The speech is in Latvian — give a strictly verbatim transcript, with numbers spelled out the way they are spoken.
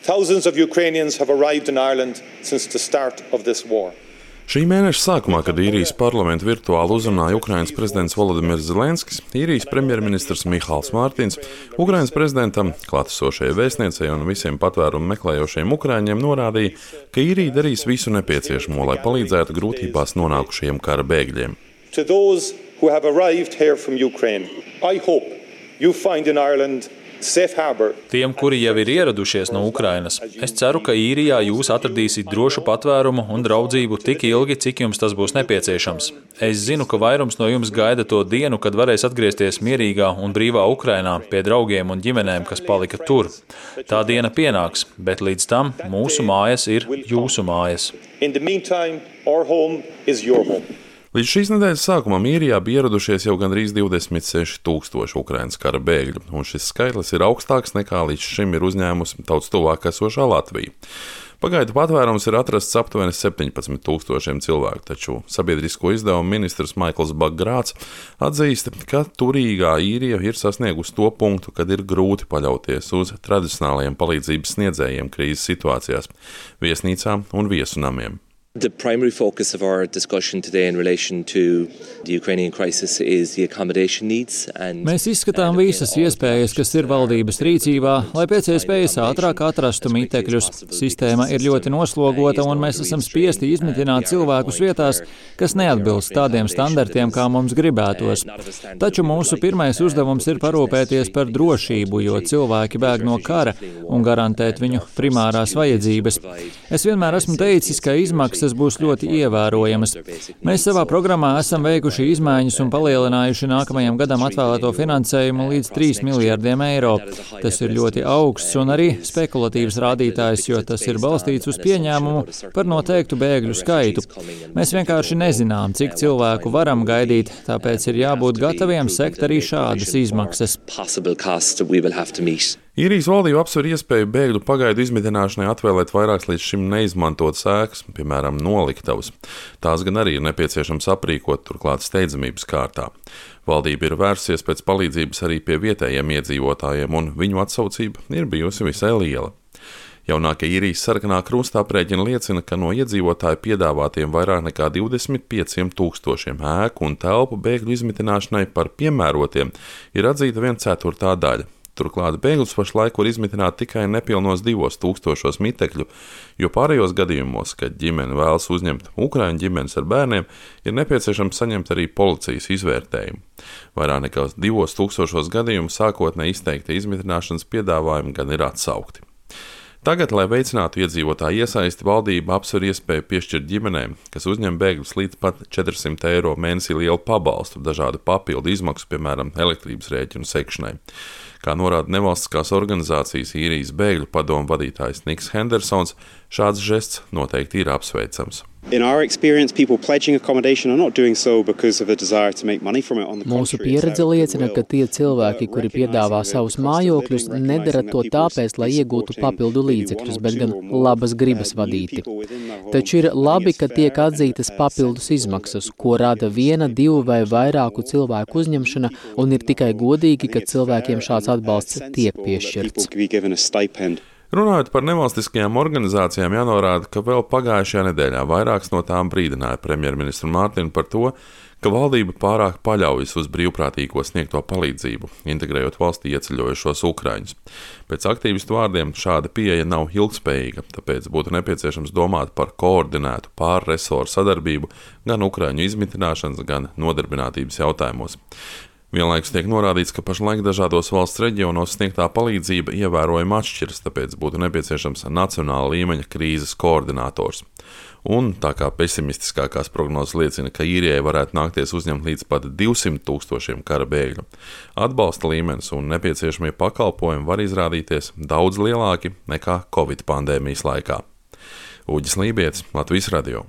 Thousands of Ukrainians have arrived in Ireland since the start of this war. Šī mēneša sākumā, kad īrijas parlamentu virtuāli uzrunāja Ukrainas prezidents Volodimirs Zelenskis, īrijas premjerministrs Mihāls Mārtiņš, Ukrainas prezidentam, klātesošajai vēstniecei un visiem patvērumu meklējošiem ukraiņiem norādīja, ka īrija darīs visu nepieciešamo, lai palīdzētu grūtībās nonākušajiem kara bēgļiem. To those who have arrived here from Ukraine, I hope you find in Ireland safe harbor. Tiem, kuri jau ir ieradušies no Ukrainas, es ceru, ka īrijā jūs atradīsiet drošu patvērumu un draudzību tik ilgi, cik jums tas būs nepieciešams. Es zinu, ka vairums no jums gaida to dienu, kad varēs atgriezties mierīgā un brīvā Ukrainā pie draugiem un ģimenēm, kas palika tur. Tā diena pienāks, bet līdz tam mūsu mājas ir jūsu mājas. In the meantime, our home is your home. Līdz šīs nedēļas sākumam īrijā bija ieradušies jau gandrīz divdesmit seši tūkstoši Ukrainas kara bēgļu, un šis skaitlis ir augstāks nekā līdz šim ir uzņēmusi daudz tuvāk esošā Latvija. Pagaidu patvērums ir atrasts aptuveni septiņpadsmit tūkstošiem cilvēku, taču sabiedrisko izdevumu ministrs Maikls Baggrāts atzīst, ka turīgā īrija ir sasniegusi to punktu, kad ir grūti paļauties uz tradicionālajiem palīdzības sniedzējiem krīzes situācijās, viesnīcām un viesunamiem. The primary focus of our discussion today in relation to the Ukrainian crisis is the accommodation needs. And Mēs izskatām visas iespējas, kas ir valdības rīcībā, lai pēc iespējas ātrāk atrastu mitekļus. Sistēma ir ļoti noslogota, un mēs esam spiesti izmitināt cilvēkus vietās, kas neatbilst tādiem standartiem, kā mums gribētos. Taču mūsu pirmais uzdevums ir parūpēties par drošību, jo cilvēki bēg no kara un garantēt viņu primārās vajadzības. Es vienmēr esmu teicis, ka izmaksas Tas būs ļoti ievērojamas. Mēs savā programmā esam veikuši izmaiņas un palielinājuši nākamajam gadam atvēlēto finansējumu līdz trīs miljardiem eiro. Tas ir ļoti augsts un arī spekulatīvs rādītājs, jo tas ir balstīts uz pieņēmumu par noteiktu bēgļu skaitu. Mēs vienkārši nezinām, cik cilvēku varam gaidīt, tāpēc ir jābūt gataviem sekt arī šādas izmaksas. Īrijas valdība apsver iespēju bēgļu pagaidu izmitināšanai atvēlēt vairākas līdz šim neizmantotas ēkas, piemēram, noliktavas. Tās gan arī ir nepieciešams aprīkot, turklāt steidzamības kārtā. Valdība ir vērsies pēc palīdzības arī pie vietējiem iedzīvotājiem, un viņu atsaucība ir bijusi visai liela. Jaunākie īrijas sarkanā krusta aprēķini liecina, ka no iedzīvotāju piedāvātiem vairāk nekā divdesmit pieciem tūkstošiem ēku un telpu bēgļu izmitināšanai par piemērotiem ir atzīta viena ceturtā daļa. Turklāt bēgļus pašlaik var izmitināt tikai nepilnos divos tūkstošos mitekļu, jo pārējos gadījumos, kad ģimene vēlas uzņemt ukraiņu ģimenes ar bērniem, ir nepieciešams saņemt arī policijas izvērtējumu. Vairāk nekā divos tūkstošos gadījumu sākotnēji izteikti izmitināšanas piedāvājumi gan ir atsaukti. Tagad, lai veicinātu iedzīvotāju iesaisti, valdība apsver iespēju piešķirt ģimenēm, kas uzņem bēgļus līdz pat četrsimt eiro mēnesī lielu pabalstu, dažādu papildu izmaksu, piemēram, elektrības rēķinu sekšanai. Kā norāda nevalstiskās organizācijas īrijas bēgļu padomu vadītājs Niks Hendersons, šāds žests noteikti ir apsveicams. Mūsu pieredze liecina, ka tie cilvēki, kuri piedāvā savus mājokļus, nedara to tāpēc, lai iegūtu papildu līdzekļus, bet gan labas gribas vadīti. Taču ir labi, ka tiek atzītas papildus izmaksas, ko rada viena, divu vai vairāku cilvēku uzņemšana, un ir tikai godīgi, ka cilvēkiem šāds atbalsts tiek piešķirts. Runājot par nevalstiskajām organizācijām, jānorāda, ka vēl pagājušajā nedēļā vairākas no tām brīdināja premjerministru Mārtiņu par to, ka valdība pārāk paļaujas uz brīvprātīgo sniegto palīdzību, integrējot valstī ieceļojušos ukraiņus. Pēc aktīvistu vārdiem šāda pieeja nav ilgspējīga, tāpēc būtu nepieciešams domāt par koordinētu pārresoru sadarbību gan ukraiņu izmitināšanas, gan nodarbinātības jautājumos. Vienlaikus tiek norādīts, ka pašlaik dažādos valsts reģionos sniegtā palīdzība ievērojami atšķiras, tāpēc būtu nepieciešams nacionāla līmeņa krīzes koordinators. Un tā kā pesimistiskākās prognozes liecina, ka īrijai varētu nākties uzņemt līdz pat divsimt tūkstošiem kara bēgļu, atbalsta līmenis un nepieciešamie pakalpojumi var izrādīties daudz lielāki nekā Covid pandēmijas laikā. Uģis Lībietis, Latvijas radio.